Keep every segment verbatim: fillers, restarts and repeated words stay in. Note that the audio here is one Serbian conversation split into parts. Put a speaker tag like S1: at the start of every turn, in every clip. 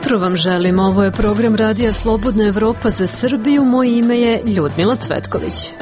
S1: jutro vam želim. Ovo je program Radija Slobodna Evropa za Srbiju. Moje ime je Ljudmila Cvetković.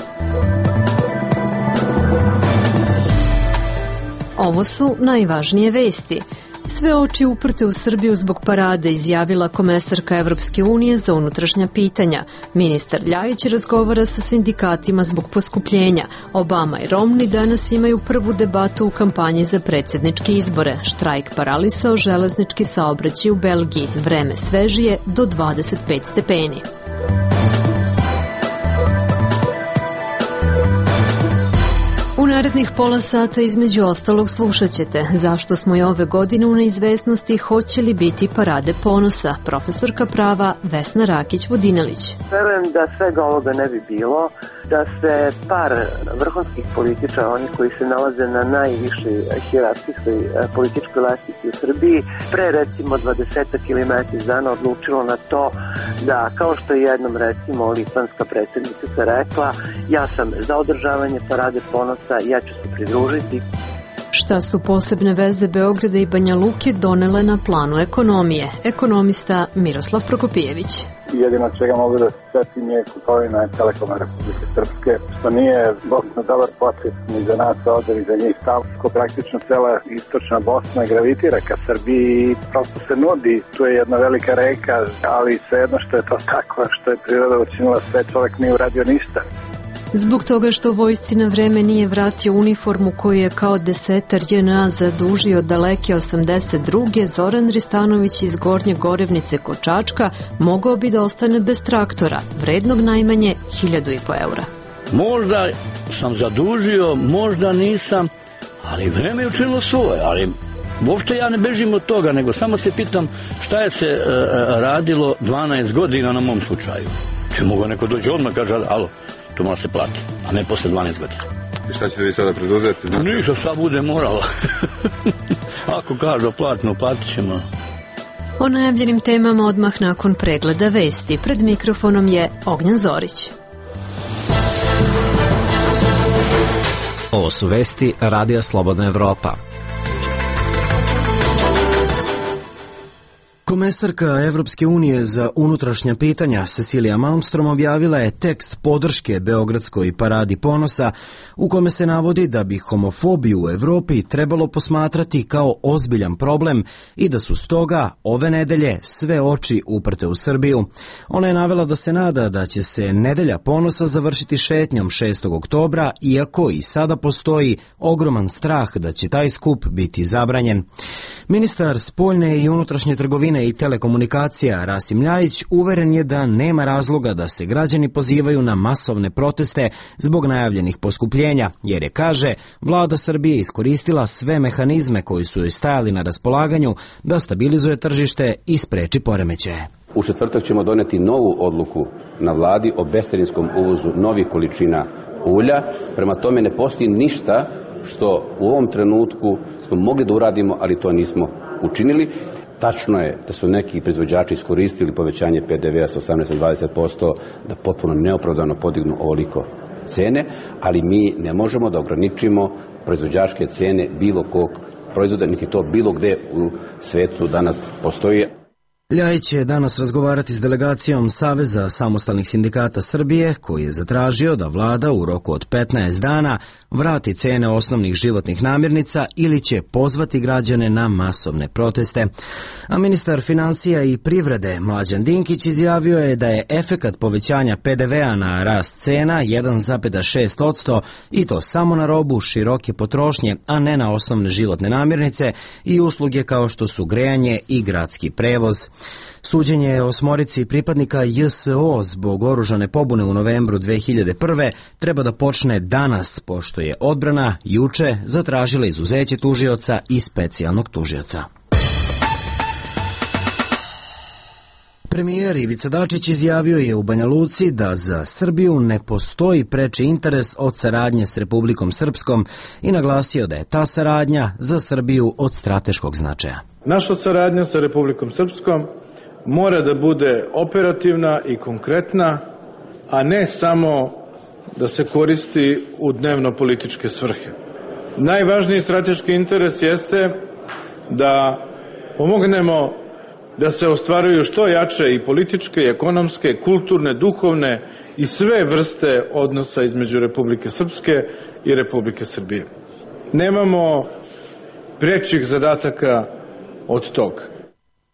S1: Ovo su najvažnije vesti. Sve oči uprte u Srbiju zbog parade, izjavila komesarka Evropske unije za unutrašnja pitanja. Ministar Ljajić razgovara sa sindikatima zbog poskupljenja. Obama i Romney danas imaju prvu debatu u kampanji za predsjedničke izbore. Štrajk paralisao železnički saobraćaj u Belgiji. Vreme svežije do dvadeset pet stepeni. U narednih pola sata između ostalog slušat ćete zašto smo i ove godine u neizvesnosti, hoće li biti parade ponosa. Profesorka prava Vesna Rakić-Vodinelić.
S2: Verujem da svega ovoga ne bi bilo, da se par vrhunskih političara, oni koji se nalaze na najvišoj hijerarhijskoj političkoj lestvici u Srbiji, pre recimo dvadesetak ili mesec dana odlučilo na to da, kao što je jednom recimo litvanska predsjednica rekla, ja sam za održavanje parade ponosa, ja ću se pridružiti.
S1: Šta su posebne veze Beograda i Banja Luke donele na planu ekonomije? Ekonomista Miroslav Prokopijević.
S3: Jedino čega mogu da se setim je kupovina Telekoma Republike Srpske, što nije dosta dobar počet ni za nas ovdje ni za njih stavko. Praktično cela istočna Bosna gravitira ka Srbiji i prosto se nudi. Tu je jedna velika reka, ali svejedno što je to tako, što je priroda učinila sve, čovjek nije uradio ništa.
S1: Zbog toga što vojsci na vreme nije vratio uniformu koju je kao desetar J N A zadužio daleke osamdeset druge. Zoran Ristanović iz Gornje Gorevnice kod Čačka mogao bi da ostane bez traktora, vrednog najmanje hiljadu i po eura.
S4: Možda sam zadužio, možda nisam, ali vreme je učinilo svoje, ali uopšte ja ne bežim od toga, nego samo se pitam šta je se e, radilo dvanaest godina na mom slučaju. Če mogu neko dođe odmah kaže, alo, to mora se plati, a ne posle dvanaest godina.
S5: I šta ćete vi sada preduzeti? Znači?
S4: Ništa, šta bude moralo. Ako kažu platno, platit ćemo.
S1: O najavljenim temama odmah nakon pregleda vesti. Pred mikrofonom je Ognjan Zorić.
S6: Ovo su vesti Radija Slobodna Evropa. Komesarka Evropske unije za unutrašnja pitanja Cecilia Malmstrom objavila je tekst podrške Beogradskoj paradi ponosa u kome se navodi da bi homofobiju u Evropi trebalo posmatrati kao ozbiljan problem i da su stoga ove nedelje sve oči uprte u Srbiju. Ona je navela da se nada da će se nedelja ponosa završiti šetnjom šestog oktobra, iako i sada postoji ogroman strah da će taj skup biti zabranjen. Ministar spoljne i unutrašnje trgovine i telekomunikacija Rasim Ljajić uveren je da nema razloga da se građani pozivaju na masovne proteste zbog najavljenih poskupljenja, jer je, kaže, vlada Srbije iskoristila sve mehanizme koji su joj stajali na raspolaganju da stabilizuje tržište i spreči poremećaje.
S7: U četvrtak ćemo doneti novu odluku na vladi o bescarinskom uvozu novih količina ulja. Prema tome ne postoji ništa što u ovom trenutku smo mogli da uradimo, ali to nismo učinili. Tačno je da su neki proizvođači iskoristili povećanje P D V-a sa osamnaest na dvadeset posto da potpuno neopravdano podignu ovoliko cene, ali mi ne možemo da ograničimo proizvođačke cene bilo kog proizvoda, niti to bilo gde u svetu danas postoji.
S6: Ljajić će danas razgovarati s delegacijom Saveza samostalnih sindikata Srbije, koji je zatražio da vlada u roku od petnaest dana vrati cene osnovnih životnih namirnica ili će pozvati građane na masovne proteste. A ministar finansija i privrede Mlađan Dinkić izjavio je da je efekat povećanja P D V-a na rast cena jedan zarez šest posto i to samo na robu široke potrošnje, a ne na osnovne životne namirnice i usluge kao što su grejanje i gradski prevoz. Suđenje osmorici pripadnika J S O zbog oružane pobune u novembru dve hiljade prve treba da počne danas, pošto je odbrana juče zatražila izuzeće tužioca i specijalnog tužioca. Premijer Ivica Dačić izjavio je u Banja Luci da za Srbiju ne postoji preči interes od saradnje s Republikom Srpskom i naglasio da je ta saradnja za Srbiju od strateškog značaja.
S8: Naša saradnja sa Republikom Srpskom mora da bude operativna i konkretna, a ne samo da se koristi u dnevno-političke svrhe. Najvažniji strateški interes jeste da pomognemo da se ostvaruju što jače i političke, i ekonomske, kulturne, duhovne i sve vrste odnosa između Republike Srpske i Republike Srbije. Nemamo prečih zadataka od toga.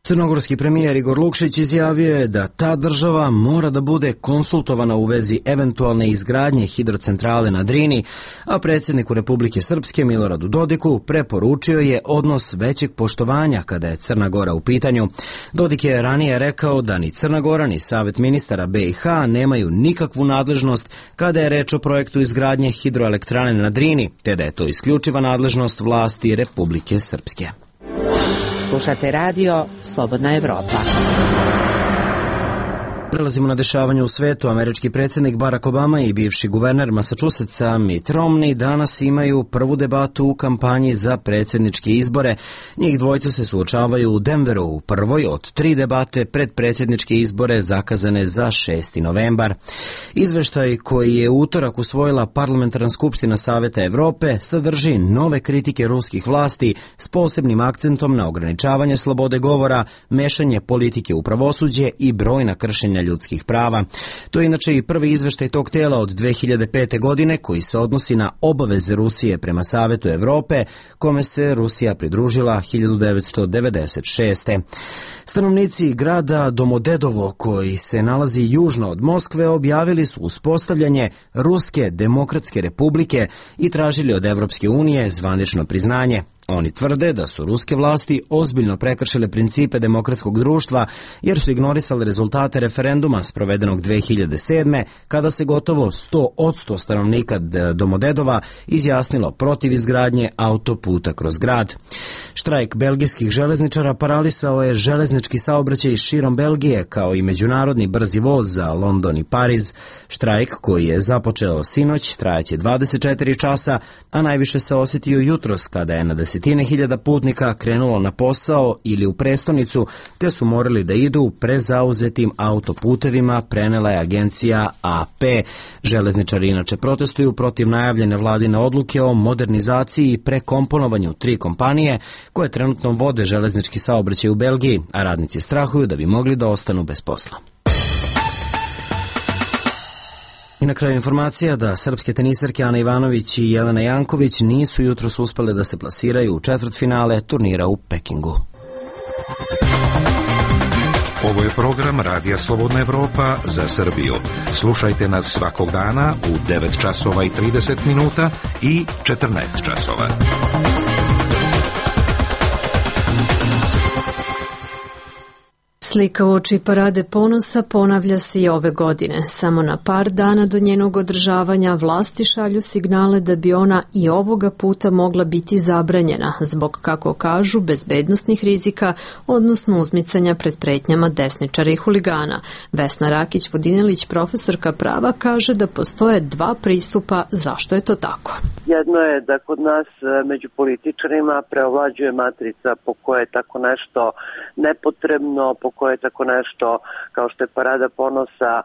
S6: Crnogorski premijer Igor Lukšić izjavio je da ta država mora da bude konsultovana u vezi eventualne izgradnje hidrocentrale na Drini, a predsjedniku Republike Srpske Miloradu Dodiku preporučio je odnos većeg poštovanja kada je Crna Gora u pitanju. Dodik je ranije rekao da ni Crna Gora ni Savet ministara B i H nemaju nikakvu nadležnost kada je reč o projektu izgradnje hidroelektrane na Drini, te da je to isključiva nadležnost vlasti Republike Srpske.
S9: Slušate radio Slobodna Evropa.
S6: Prelazimo na dešavanje u svetu. Američki predsjednik Barack Obama i bivši guverner Massachusettsa Mitt Romney danas imaju prvu debatu u kampanji za predsjedničke izbore. Njih dvojica se suočavaju u Denveru u prvoj od tri debate pred predsjedničke izbore zakazane za šesti novembar. Izveštaj koji je u utorak usvojila Parlamentarna skupština Saveta Evrope sadrži nove kritike ruskih vlasti s posebnim akcentom na ograničavanje slobode govora, mešanje politike u pravosuđe i brojna kršenja ljudskih prava. To je inače i prvi izveštaj tog tela od dve hiljade pete. godine koji se odnosi na obaveze Rusije prema Savetu Evrope, kome se Rusija pridružila hiljadu devetsto devedeset šeste. Stanovnici grada Domodedovo, koji se nalazi južno od Moskve, objavili su uspostavljanje Ruske demokratske republike i tražili od Evropske unije zvanično priznanje. Oni tvrde da su ruske vlasti ozbiljno prekršile principe demokratskog društva jer su ignorisali rezultate referenduma sprovedenog dve hiljade sedme. kada se gotovo sto posto stanovnika Domodedova izjasnilo protiv izgradnje autoputa kroz grad. Štrajk belgijskih železničara paralisao je železnički saobraćaj širom Belgije kao i međunarodni brzi voz za London i Pariz. Štrajk koji je započeo sinoć trajaće dvadeset četiri časa, a najviše se osjetio jutros kada je na desetine hiljada putnika krenulo na posao ili u prestonicu, te su morali da idu prezauzetim autoputevima, prenela je agencija A P. Železničari inače protestuju protiv najavljene vladine odluke o modernizaciji i prekomponovanju tri kompanije koje trenutno vode železnički saobraćaj u Belgiji, a radnici strahuju da bi mogli da ostanu bez posla. I na kraju informacija da srpske tenisarke Ana Ivanović i Jelena Janković nisu jutros uspele da se plasiraju u četvrtfinale turnira u Pekingu.
S10: Ovo je program Radija Slobodna Evropa za Srbiju. Slušajte nas svakog dana u devet časova i trideset minuta i četrnaest časova.
S1: Slika uoči Parade ponosa ponavlja se i ove godine. Samo na par dana do njenog održavanja vlasti šalju signale da bi ona i ovoga puta mogla biti zabranjena zbog, kako kažu, bezbednosnih rizika, odnosno uzmicanja pred pretnjama desničara i huligana. Vesna Rakić-Vodinelić, profesorka prava, kaže da postoje dva pristupa zašto je to tako.
S2: Jedno je da kod nas među političarima preovlađuje matrica po kojoj je tako nešto nepotrebno, po koje tako nešto kao što je Parada ponosa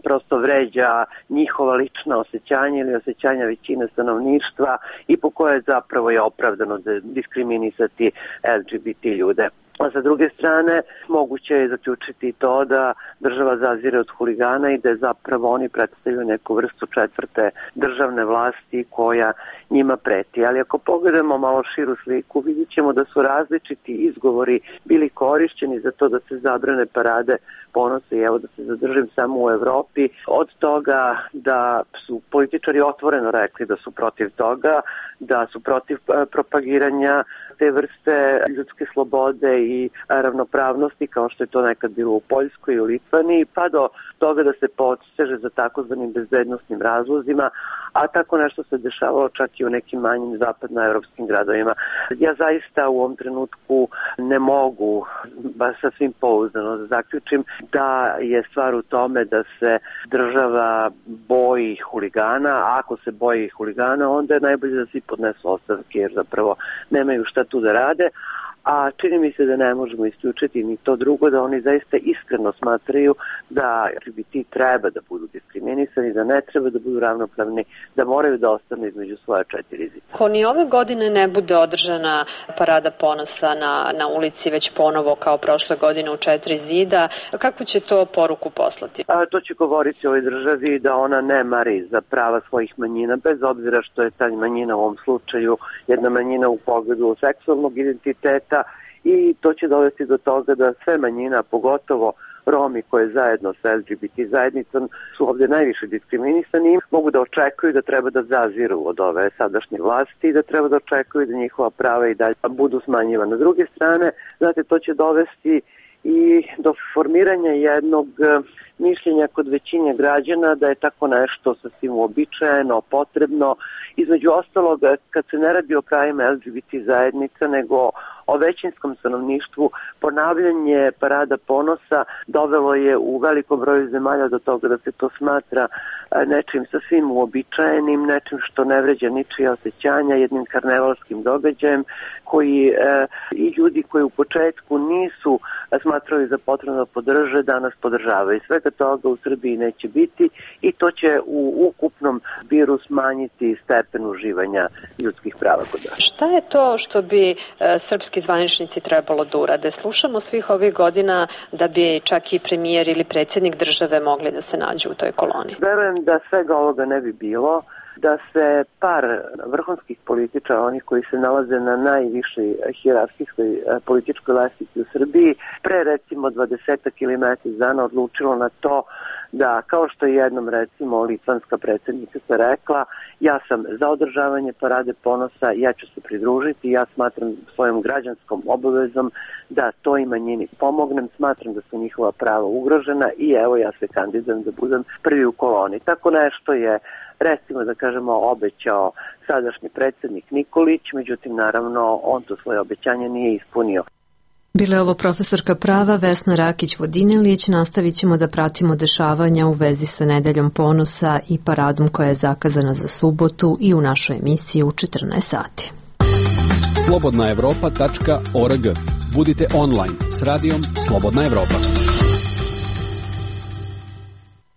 S2: prosto vređa njihova lična osjećanja ili osjećanja većine stanovništva i po koje zapravo je opravdano diskriminisati L G B T ljude. A sa druge strane, moguće je zaključiti to da država zazire od huligana i da zapravo oni predstavljaju neku vrstu četvrte državne vlasti koja njima preti. Ali ako pogledamo malo širu sliku, vidjet ćemo da su različiti izgovori bili korišćeni za to da se zabrane Parade ponosa i evo da se zadržim samo u Evropi. Od toga da su političari otvoreno rekli da su protiv toga, da su protiv propagiranja te vrste ljudske slobode i ravnopravnosti kao što je to nekad bilo u Poljskoj i u Litvaniji, pa do toga da se poseže za takozvanim bezbednosnim razlozima, a tako nešto se dešavalo čak i u nekim manjim zapadnoevropskim gradovima. Ja zaista u ovom trenutku ne mogu baš sasvim pouzdano da zaključim da je stvar u tome da se država boji huligana, a ako se boji huligana onda je najbolje da svi podnesu ostavke jer zapravo nemaju šta tu da rade. a čini mi se da ne možemo isključiti ni to drugo, da oni zaista iskreno smatraju da L G B T treba da budu diskriminisani, da ne treba da budu ravnopravni, da moraju da ostanu između svoja četiri zida.
S1: Ako ni ove godine ne bude održana parada ponosa na, na ulici već ponovo kao prošle godine u četiri zida, kakvu će to poruku poslati?
S2: A, to će govoriti o ovoj državi da ona ne mari za prava svojih manjina, bez obzira što je ta manjina u ovom slučaju jedna manjina u pogledu seksualnog identiteta, i to će dovesti do toga da sve manjina, pogotovo Romi koje zajedno sa L G B T zajednicom su ovdje najviše diskriminisani, mogu da očekuju da treba da zaziru od ove sadašnje vlasti i da treba da očekuju da njihova prava i dalje budu smanjivana. S druge strane, znate, to će dovesti i do formiranja jednog mišljenja kod većine građana da je tako nešto sasvim uobičajeno, potrebno. Između ostalog, kad se ne radi o krajima L G B T zajednica, nego o većinskom stanovništvu, ponavljanje parada ponosa dovelo je u velikom broju zemalja do toga da se to smatra nečim sasvim uobičajenim, nečim što ne vređa ničije osjećanja, jednim karnevalskim događajem koji e, i ljudi koji u početku nisu smatrali za potrebno da podrže, danas podržavaju. Svega toga u Srbiji neće biti i to će u ukupnom zbiru smanjiti stepen uživanja ljudskih prava kod nas.
S1: Šta je to što bi e, srpski zvaničnici trebalo da urade? Slušamo svih ovih godina da bi čak i premijer ili predsjednik države mogli da se nađu u toj koloni.
S2: Verujem da svega ovoga ne bi bilo, da se par vrhunskih političara, onih koji se nalaze na najvišoj hijerarhijskoj političkoj lestvici u Srbiji, pre recimo dvadesetak ili mesec dana odlučilo na to da, kao što je jednom recimo litvanska predsjednica se rekla, ja sam za održavanje parade ponosa, ja ću se pridružiti, ja smatram svojom građanskom obavezom da toj manjini pomognem, smatram da su njihova prava ugrožena i evo ja se kandidujem da budem prvi u koloni. Tako nešto je, recimo da kažemo, obećao sadašnji predsjednik Nikolić, međutim naravno on to svoje obećanje nije ispunio.
S1: Bila je ovo profesorka prava Vesna Rakić-Vodinelić. Nastavit ćemo da pratimo dešavanja u vezi sa Nedeljom ponosa i paradom koja je zakazana za subotu i u našoj emisiji u četrnaest sati.
S11: slobodna evropa tačka org. Budite online s radijom Slobodna Evropa.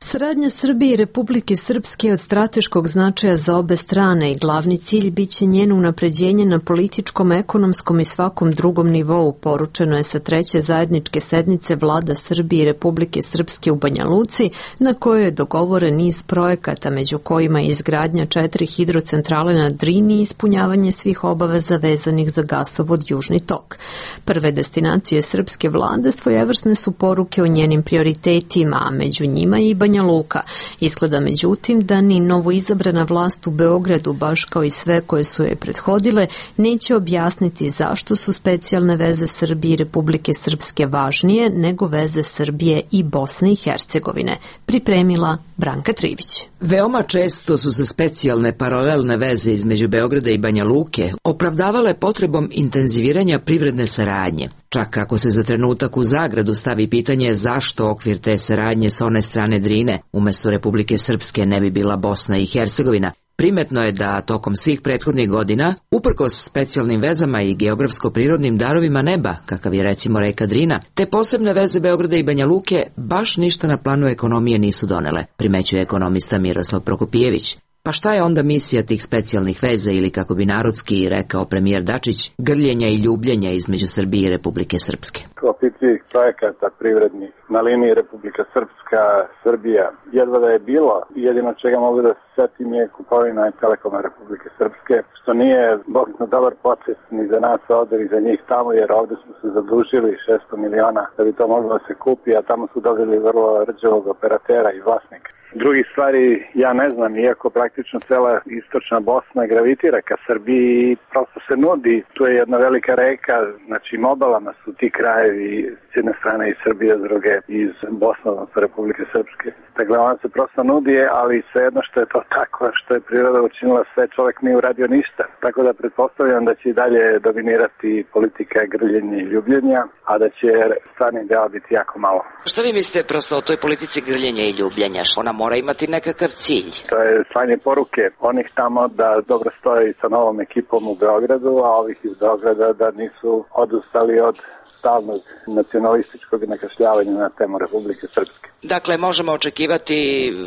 S1: Saradnja Srbije i Republike Srpske je od strateškog značaja za obe strane i glavni cilj biće njeno unapređenje na političkom, ekonomskom i svakom drugom nivou, poručeno je sa treće zajedničke sednice vlada Srbije i Republike Srpske u Banja Luci, na kojoj je dogovoren niz projekata, među kojima je izgradnja četiri hidrocentrale na Drini i ispunjavanje svih obaveza vezanih za gasovod Južni tok. Prve destinacije srpske vlade svojevrsne su poruke o njenim prioritetima, a među njima i Banja Luka. Isgleda međutim da ni novoizabrana vlast u Beogradu, baš kao i sve koje su je prethodile, neće objasniti zašto su specijalne veze Srbije i Republike Srpske važnije nego veze Srbije i Bosne i Hercegovine. Pripremila Branka Trivić.
S12: Veoma često su se specijalne paralelne veze između Beograda i Banja Luke opravdavale potrebom intenziviranja privredne saradnje. Čak ako se za trenutak u zagradu stavi pitanje zašto okvir te saradnje sa one strane Drine umjesto Republike Srpske ne bi bila Bosna i Hercegovina, primetno je da tokom svih prethodnih godina, uprkos specijalnim vezama i geografsko-prirodnim darovima neba, kakav je recimo reka Drina, te posebne veze Beograda i Banja Luke baš ništa na planu ekonomije nisu donele, primećuje ekonomista Miroslav Prokopijević. Pa šta je onda misija tih specijalnih veza ili, kako bi narodski rekao premijer Dačić, grljenja i ljubljenja između Srbije i Republike Srpske?
S3: Opicijih projekata privrednih na liniji Republika Srpska, Srbija, jedva da je bilo. Jedino čega mogu da se setim je kupovina Telekoma Republike Srpske, što nije bogno dobar proces ni za nas ovdje ni za njih tamo, jer ovdje smo se zadužili šesto miliona da bi to moglo da se kupi, a tamo su dobili vrlo rđavog operatera i vlasnika. Drugi stvari, ja ne znam, iako praktično cela istočna Bosna gravitira ka Srbiji, prosto se nudi, tu je jedna velika reka, znači obalama su ti krajevi s jedne strane iz Srbije, s druge iz Bosne, odnosno Republike Srpske. Dakle, ona se prosto nudi, ali svejedno što je to tako, što je priroda učinila sve, čovjek nije uradio ništa. Tako da pretpostavljam da će i dalje dominirati politika grljenja i ljubljenja, a da će stvarni deo biti jako malo.
S12: Šta vi mislite prosto o toj politici grljenja i ljubljenja? Ona mora imati nekakav cilj.
S3: To je slanje poruke onih tamo da dobro stoji sa novom ekipom u Beogradu, a ovih iz Beograda da nisu odustali od stalnog nacionalističkog nakašljavanja na temu Republike Srpske.
S12: Dakle, možemo očekivati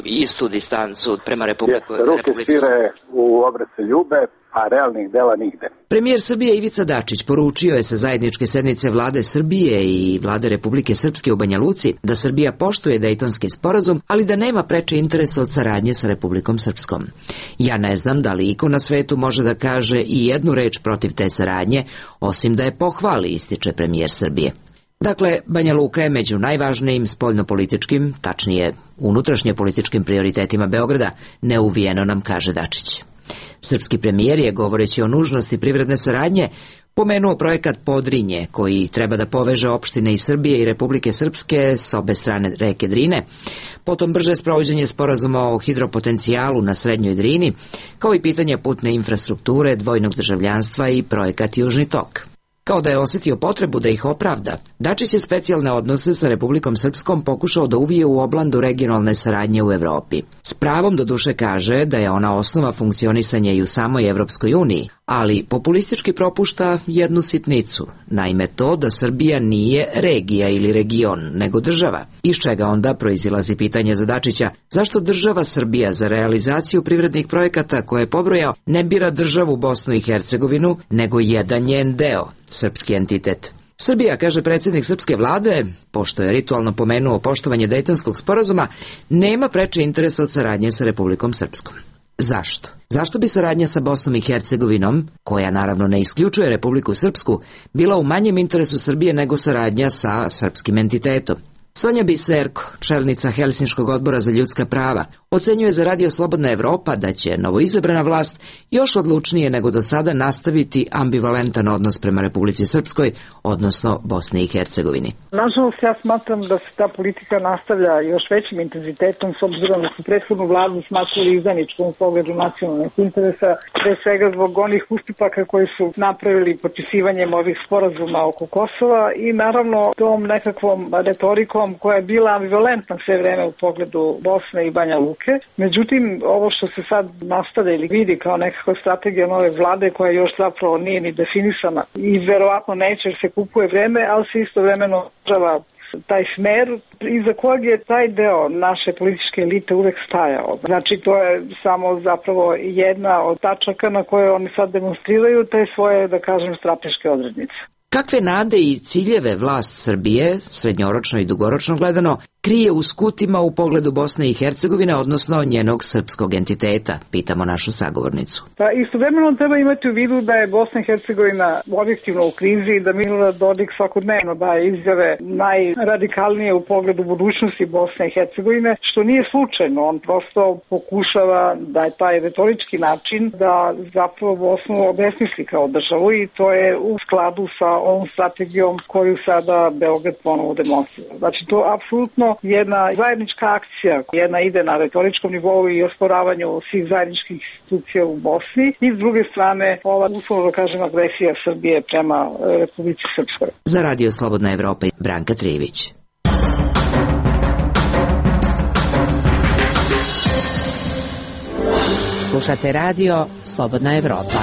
S12: istu distancu prema Republiku,
S3: Jeste, ruke
S12: Republici Srpske.
S3: svire u obrace ljube, a realnih dela nigde.
S12: Premijer Srbije Ivica Dačić poručio je sa zajedničke sednice Vlade Srbije i Vlade Republike Srpske u Banja Luci da Srbija poštuje Dejtonski sporazum, ali da nema preče interesa od saradnje sa Republikom Srpskom. Ja ne znam da li iko na svetu može da kaže i jednu reč protiv te saradnje, osim da je pohvali, ističe premijer Srbije. Dakle, Banja Luka je među najvažnijim spoljnopolitičkim, tačnije unutrašnje političkim prioritetima Beograda, neuvijeno nam kaže Dačić. Srpski premijer je, govoreći o nužnosti privredne saradnje, pomenuo projekat Podrinje, koji treba da poveže opštine iz Srbije i Republike Srpske s obe strane reke Drine, potom brže sprovođenje sporazuma o hidropotencijalu na Srednjoj Drini, kao i pitanje putne infrastrukture, dvojnog državljanstva i projekat Južni tok. Kao da je osetio potrebu da ih opravda, Dačić je specijalne odnose sa Republikom Srpskom pokušao da uvije u oblandu regionalne saradnje u Evropi. S pravom do duše kaže da je ona osnova funkcionisanja i u samoj Evropskoj uniji, ali populistički propušta jednu sitnicu, naime to da Srbija nije regija ili region, nego država, iz čega onda proizilazi pitanje za Dačića zašto država Srbija za realizaciju privrednih projekata koje je pobrojao ne bira državu Bosnu i Hercegovinu, nego jedan njen deo, srpski entitet. Srbija, kaže predsjednik srpske vlade, pošto je ritualno pomenuo poštovanje Dejtonskog sporazuma, nema preče interesa od saradnje sa Republikom Srpskom. Zašto? Zašto bi saradnja sa Bosnom i Hercegovinom, koja naravno ne isključuje Republiku Srpsku, bila u manjem interesu Srbije nego saradnja sa srpskim entitetom? Sonja Biserko, čelnica Helsinškog odbora za ljudska prava, ocenjuje za Radio Slobodna Evropa da će novoizabrana vlast još odlučnije nego do sada nastaviti ambivalentan odnos prema Republici Srpskoj, odnosno Bosni i Hercegovini.
S13: Nažalost, ja smatram da se ta politika nastavlja još većim intenzitetom s obzirom da su prethodnu vladu smatrali izdajničkom u pogledu nacionalnih interesa, pre svega zbog onih ustupaka koji su napravili potpisivanjem ovih sporazuma oko Kosova i naravno tom nekakvom retorikom koja je bila ambivalentna sve vreme u pogledu Bosne i Banja Luke. Međutim, ovo što se sad nastavlja ili vidi kao nekakva strategija nove vlade koja još zapravo nije ni definisana i verovatno neće jer se kupuje vreme, ali se istovremeno država taj smer iza kojeg je taj deo naše političke elite uvek stajao. Znači, to je samo zapravo jedna od tačaka na koje oni sad demonstriraju te svoje, da kažem, strateške odrednice.
S12: Kakve nade i ciljeve vlast Srbije, srednjoročno i dugoročno gledano, krije u skutima u pogledu Bosne i Hercegovine, odnosno njenog srpskog entiteta, pitamo našu sagovornicu.
S13: Pa istovremeno treba imati u vidu da je Bosna i Hercegovina objektivno u krizi i da Milorad Dodik svakodnevno daje izjave najradikalnije u pogledu budućnosti Bosne i Hercegovine, što nije slučajno. On prosto pokušava da je taj retorički način da zapravo Bosnu obesmisli kao državu i to je u skladu sa ovom strategijom koju sada Beograd ponovo demonstrira. Znači, to apsolutno jedna zajednička akcija, jedna ide na retoričkom nivou i osporavanju svih zajedničkih institucija u Bosni i s druge strane ova, uslovno da kažem, agresija Srbije prema Republici Srpskoj.
S12: Za Radio Slobodna Evropa, Branka Trivić.
S9: Slušate Radio Slobodna Evropa.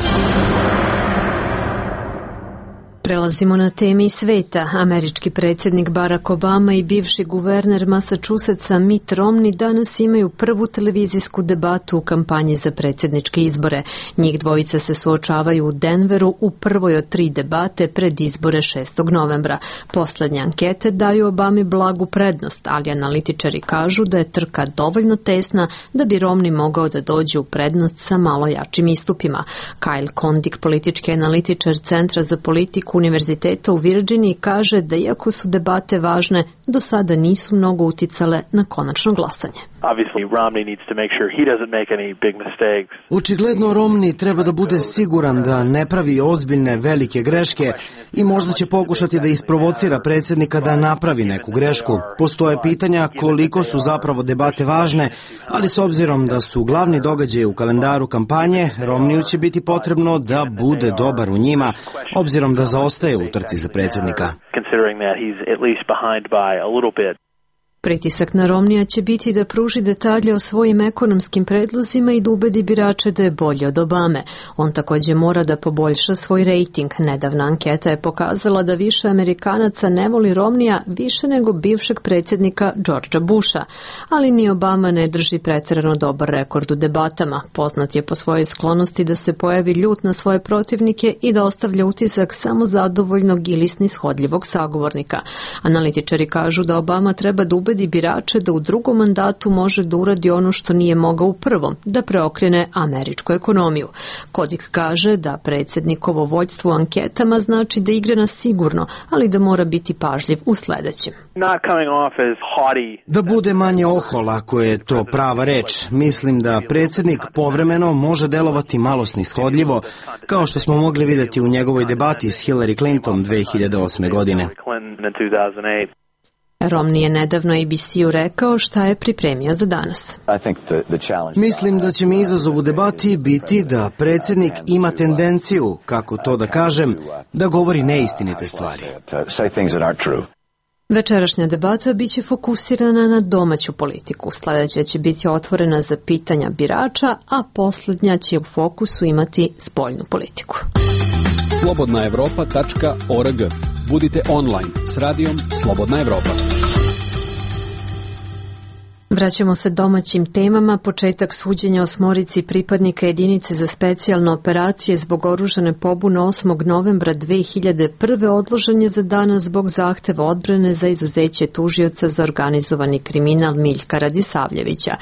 S1: Prelazimo na teme iz sveta. Američki predsjednik Barack Obama i bivši guverner Massachusettsa Mitt Romney danas imaju prvu televizijsku debatu u kampanji za predsjedničke izbore. Njih dvojica se suočavaju u Denveru u prvoj od tri debate pred izbore šestog novembra. Poslednje ankete daju Obami blagu prednost, ali analitičari kažu da je trka dovoljno tesna da bi Romney mogao da dođe u prednost sa malo jačim istupima. Kyle Kondik, politički analitičar Centra za politiku Univerziteta u Virginiji, kaže da iako su debate važne, do sada nisu mnogo uticale na konačno glasanje.
S6: Očigledno Romney treba da bude siguran da ne pravi ozbiljne velike greške i možda će pokušati da isprovocira predsjednika da napravi neku grešku. Postoje pitanja koliko su zapravo debate važne, ali s obzirom da su glavni događaji u kalendaru kampanje, Romneyu će biti potrebno da bude dobar u njima, obzirom da zaostaje u trci za predsjednika.
S1: Pritisak na Romnija će biti da pruži detalje o svojim ekonomskim predlozima i da ubedi birače da je bolji od Obame. On takođe mora da poboljša svoj rejting. Nedavna anketa je pokazala da više Amerikanaca ne voli Romnija više nego bivšeg predsjednika Georgea Busha, ali ni Obama ne drži preterano dobar rekord u debatama. Poznat je po svojoj sklonosti da se pojavi ljut na svoje protivnike i da ostavlja utisak samo zadovoljnog ili snishodljivog sagovornika. Analitičari kažu da Obama treba da ubedi birače da u drugom mandatu može da uradi ono što nije mogao u prvom, da preokrene američku ekonomiju. Kodik kaže da predsjednikovo vođstvo u anketama znači da igra na sigurno, ali da mora biti pažljiv u sledećem.
S6: Da bude manje ohol, ako je to prava reč. Mislim da predsjednik povremeno može delovati malo snishodljivo, kao što smo mogli vidjeti u njegovoj debati s Hillary Clinton dve hiljade osme. godine.
S1: Romney je nedavno A B C-u rekao šta je pripremio za danas.
S6: Mislim da će mi izazov u debati biti da predsjednik ima tendenciju, kako to da kažem, da govori neistinite stvari.
S1: Večerašnja debata biće fokusirana na domaću politiku. Sljedeća će biti otvorena za pitanja birača, a posljednja će u fokusu imati spoljnu politiku.
S11: slobodna evropa tačka org. Budite online s radijom Slobodna Evropa.
S1: Vraćamo se domaćim temama. Početak suđenja osmorici pripadnika jedinice za specijalne operacije zbog oružane pobune osmog novembra dve hiljade prve. odložen je za danas zbog zahteva odbrane za izuzeće tužioca za organizovani kriminal Miljka Radisavljevića.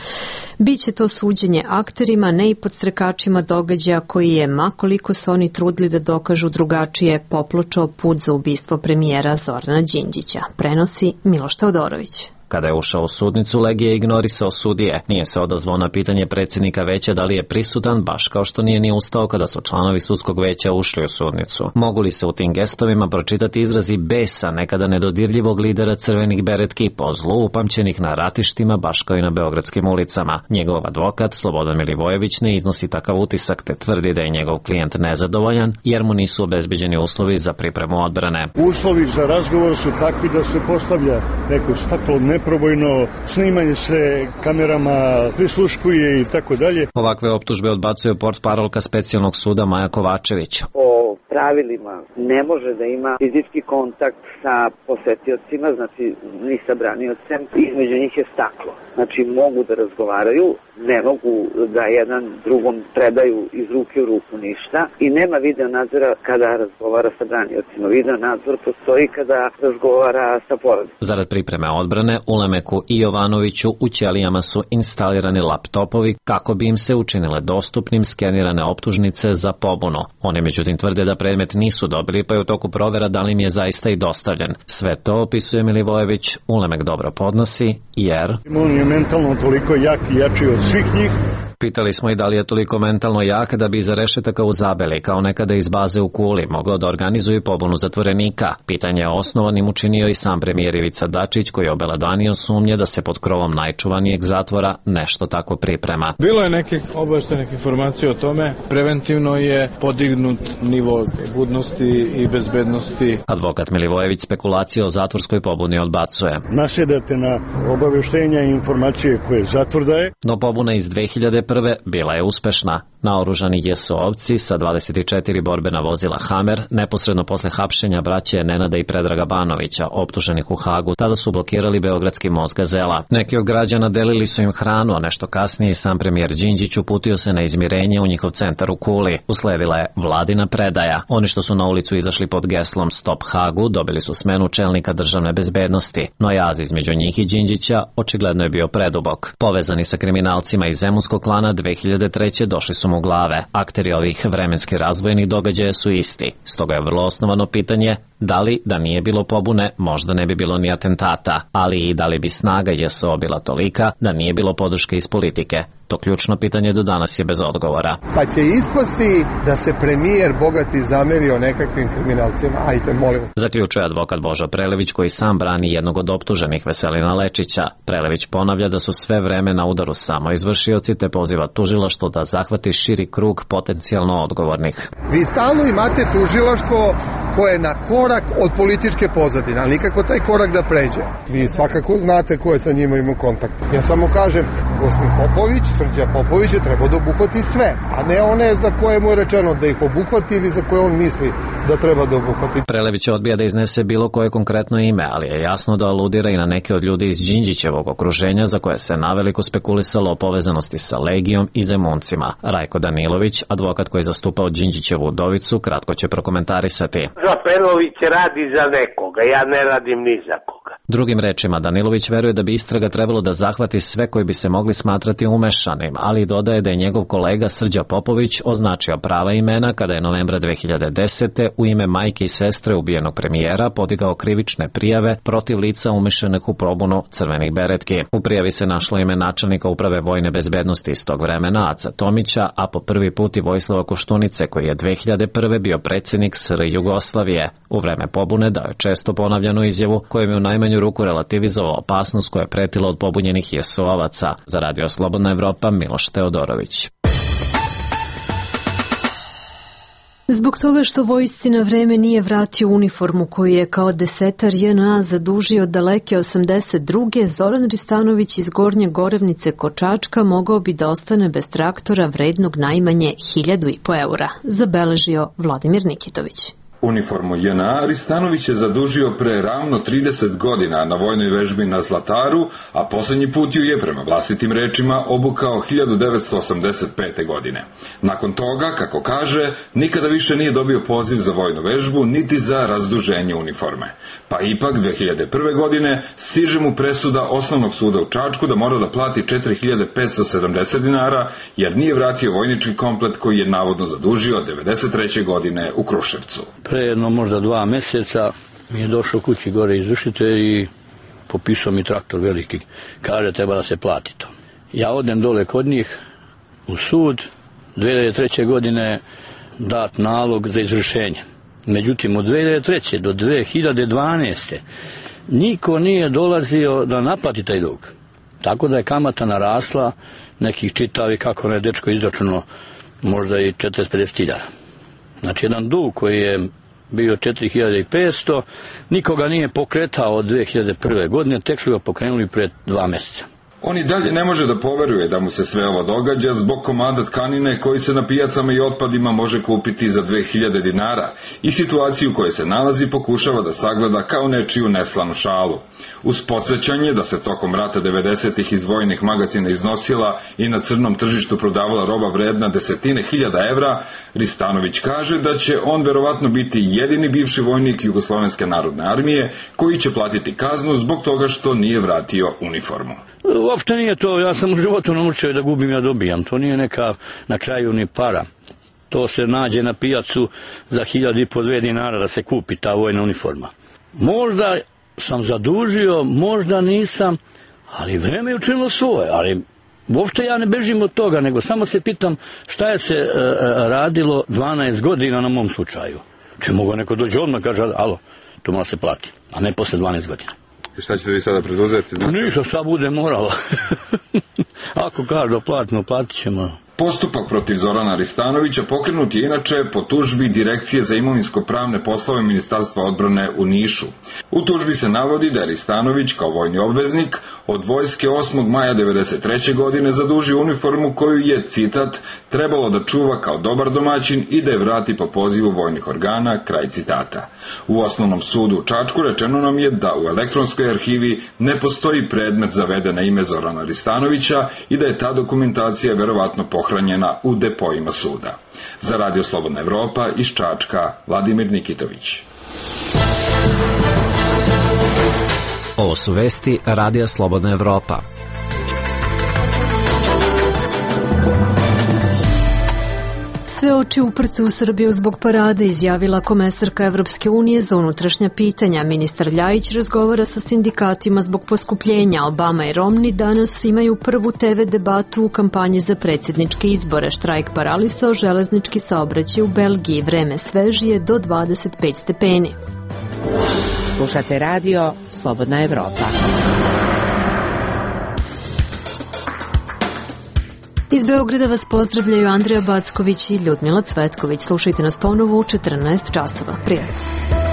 S1: Biće to suđenje akterima, ne i podstrekačima događaja koji je, makoliko se oni trudili da dokažu drugačije, popločao put za ubistvo premijera Zorana Đinđića. Prenosi Miloš Teodorović.
S14: Kada je ušao u sudnicu, Legija je ignorisao sudije. Nije se odazvao na pitanje predsjednika veća da li je prisutan, baš kao što nije ni ustao kada su članovi sudskog veća ušli u sudnicu. Mogu li se u tim gestovima pročitati izrazi besa nekada nedodirljivog lidera crvenih beretki po zlu upamćenih na ratištima, baš kao i na beogradskim ulicama? Njegov advokat, Slobodan Milivojević, ne iznosi takav utisak te tvrdi da je njegov klijent nezadovoljan jer mu nisu obezbeđeni uslovi za pripremu odbrane.
S15: Uslovi za razgovor su takvi da se postavlja neko staklo neprobojno, snimanje se kamerama, prisluškuje i tako dalje.
S14: Ovakve optužbe odbacuje portparolka specijalnog suda Maja Kovačević.
S16: Po pravilima ne može da ima fizički kontakt sa posetiocima, znači ni sa braniocem, između njih je staklo. Znači mogu da razgovaraju, ne mogu da jedan drugom predaju iz ruke u ruku ništa i nema video nadzora kada razgovara sa braniocima. Video nadzor postoji kada razgovara sa porodicom.
S14: Zarad pripreme odbrane, Ulemeku i Jovanoviću u ćelijama su instalirani laptopovi kako bi im se učinile dostupnim skenirane optužnice za pobunu. Oni međutim tvrde da predmet nisu dobili, pa je u toku provera da li im je zaista i dostavljen. Sve to, opisuje Milivojević, Ulemek dobro podnosi, jer
S15: on je mentalno toliko jak i jači od svih njih.
S14: Pitali smo i da li je toliko mentalno jak da bi iza rešetaka u Zabeli, kao nekada iz baze u Kuli, mogao da organizuje pobunu zatvorenika. Pitanje je osnovanim učinio i sam premijer Ivica Dačić, koji je obelodanio sumnje da se pod krovom najčuvanijeg zatvora nešto tako priprema.
S8: Bilo je nekih obaveštenih informacija o tome. Preventivno je podignut nivo budnosti i bezbednosti.
S14: Advokat Milivojević spekulacije o zatvorskoj pobuni odbacuje.
S15: Nasjedate na obaveštenja i informacije koje zatvor daje.
S14: No pobuna iz dve hiljade prve bila je uspešna. Naoružani J S O-ovci sa dvadeset četiri borbena vozila Hammer, neposredno posle hapšenja braće Nenada i Predraga Banovića, optuženih u Hagu, tada su blokirali beogradski most Gazela. Neki od građana delili su im hranu, a nešto kasnije i sam premijer Đinđić uputio se na izmirenje u njihov centar u Kuli. Usledila je vladina predaja. Oni što su na ulicu izašli pod geslom Stop Hagu dobili su smenu čelnika državne bezbednosti, no jaz između njih i Đinđića očigledno je bio predubok. Povezani sa kriminalcima iz Zemunskog klana dve hiljade treće došli su mu glave. Akteri ovih vremenski razvojenih događaja su isti. Stoga je vrlo osnovano pitanje da li da nije bilo pobune, možda ne bi bilo ni atentata, ali i da li bi snaga J S O bila tolika da nije bilo podrške iz politike. To ključno pitanje do danas je bez odgovora.
S17: Pa će ispasti da se premijer bogati zamerio nekakvim kriminalcima. Ajte, molim vas.
S14: Zaključuje advokat Božo Prelević, koji sam brani jednog od optuženih, Veselina Lečića. Prelević ponavlja da su sve vreme na udaru samo izvršioci, te poziva tužilaštvo da zahvati širi krug potencijalno odgovornih.
S17: Vi stalno imate tužilaštvo koje na korak korak od političke pozadine, ali nikako taj korak da pređe. Vi svakako znate ko je sa njima imao kontakt. Ja samo kažem, Gosin Popović, Srđa Popović je trebao da obuhvati sve, a ne one za koje mu je rečeno da ih obuhvati ili za koje on misli da treba da obuhvati.
S14: Prelević odbija da iznese bilo koje konkretno ime, ali je jasno da aludira i na neke od ljudi iz Đinđićevog okruženja za koje se naveliko spekulisalo o povezanosti sa Legijom i Zemuncima. Rajko Danilović, advokat koji je zastupao Đinđićevu udovicu, kratko će prokomentarisati.
S18: Zapenović radi za nekoga, ja ne radim ni za koga.
S14: Drugim rečima, Danilović veruje da bi istraga trebalo da zahvati sve koji bi se mogli smatrati umešanim, ali dodaje da je njegov kolega Srđa Popović označio prava imena kada je novembra dve hiljade desete u ime majke i sestre ubijenog premijera podigao krivične prijave protiv lica umešanih u probunu crvenih beretki. U prijavi se našlo ime načelnika uprave vojne bezbednosti iz tog vremena, Aca Tomića, a po prvi put i Vojislava Koštunice, koji je dve hiljade prve bio predsjednik S R Jugoslavije. U vreme pobune dao je često ponavljanu izjavu kojom je u najmanju ruku relativizovao opasnost koja je pretila od pobunjenih je es o ovaca. Za Radio Slobodna Evropa, Miloš Teodorović.
S1: Zbog toga što vojsci na vreme nije vratio uniformu koju je kao desetar J N A zadužio daleke osamdeset druge. Zoran Ristanović iz Gornje Gorevnice kod Čačka mogao bi da ostane bez traktora vrednog najmanje hiljadu i po eura, zabeležio Vladimir Nikitović.
S5: Uniformu J N A Ristanović je zadužio pre ravno trideset godina na vojnoj vežbi na Zlataru, a poslednji put ju je, prema vlastitim rečima, obukao hiljadu devetsto osamdeset pete. godine. Nakon toga, kako kaže, nikada više nije dobio poziv za vojnu vežbu, niti za razduženje uniforme. Pa ipak, dve hiljade prve. godine stiže mu presuda Osnovnog suda u Čačku da mora da plati četiri hiljade petsto sedamdeset dinara, jer nije vratio vojnički komplet koji je navodno zadužio devedeset treće. godine u Kruševcu.
S4: Pre jedno možda dva meseca mi je došao kući gore izvršitelj i popisao mi traktor veliki. Kaže, treba da se plati to. Ja odem dole kod njih u sud, dve hiljade treće. godine dat nalog za izvršenje. Međutim, od dve hiljade treće. do dve hiljade dvanaeste. niko nije dolazio da naplati taj dug. Tako da je kamata narasla, nekih čitavi, kako ne dečko izračunao, možda i četrdeset do pedeset hiljada. Znači, jedan dug koji je bio četiri hiljade petsto, nikoga nije pokretao od dve hiljade prve. godine, tek su ga pokrenuli pred dva meseca.
S5: On i dalje ne može da poveruje da mu se sve ovo događa zbog komada tkanine koji se na pijacama i otpadima može kupiti za dve hiljade dinara i situaciju u kojoj se nalazi pokušava da sagleda kao nečiju neslanu šalu. Uz podsjećanje da se tokom rata devedesetih iz vojnih magacina iznosila i na crnom tržištu prodavala roba vredna desetine hiljada evra, Ristanović kaže da će on verovatno biti jedini bivši vojnik Jugoslovenske narodne armije koji će platiti kaznu zbog toga što nije vratio uniformu.
S4: Uopšte nije to, ja sam u životu naučio da gubim, ja dobijam, to nije neka na kraju ni para. To se nađe na pijacu za hiljadu i po dve dinara da se kupi ta vojna uniforma. Možda sam zadužio, možda nisam, ali vreme je učinilo svoje, ali uopšte ja ne bežim od toga, nego samo se pitam šta je se e, radilo dvanaest godina na mom slučaju. Če mogu neko dođe odmah kaže, alo, to mora se plati, a ne posle dvanaest godina.
S5: I šta ćete vi sada preduzeti?
S4: Ništa, šta bude moralo. Ako kažu platimo, platit ćemo.
S5: Postupak protiv Zorana Ristanovića pokrenut je inače po tužbi Direkcije za imovinsko-pravne poslove Ministarstva odbrane u Nišu. U tužbi se navodi da je Ristanović kao vojni obveznik od vojske osmog maja devedeset treće. godine zadužio uniformu koju je, citat, trebalo da čuva kao dobar domaćin i da je vrati po pozivu vojnih organa, kraj citata. U Osnovnom sudu u Čačku rečeno nam je da u elektronskoj arhivi ne postoji predmet zaveden na ime Zorana Ristanovića i da je ta dokumentacija verovatno pohranjena u depojima suda. Za Radio Slobodna Evropa iz Čačka, Vladimir Nikitović.
S14: Ovo su vesti Radija Slobodna Evropa.
S1: Sve oči uprte u Srbiju zbog parade, izjavila komesarka Evropske unije za unutrašnja pitanja. Ministar Ljajić razgovara sa sindikatima zbog poskupljenja. Obama i Romney danas imaju prvu te ve debatu u kampanji za predsjedničke izbore. Štrajk paralisao železnički saobraćaj u Belgiji. Vreme svežije do dvadeset pet stepeni.
S9: Slušate radio Slobodna Evropa.
S1: Iz Beograda vas pozdravljaju Andreja Backović i Ljudmila Cvetković. Slušajte nas ponovo u četrnaest časova. Prijatno.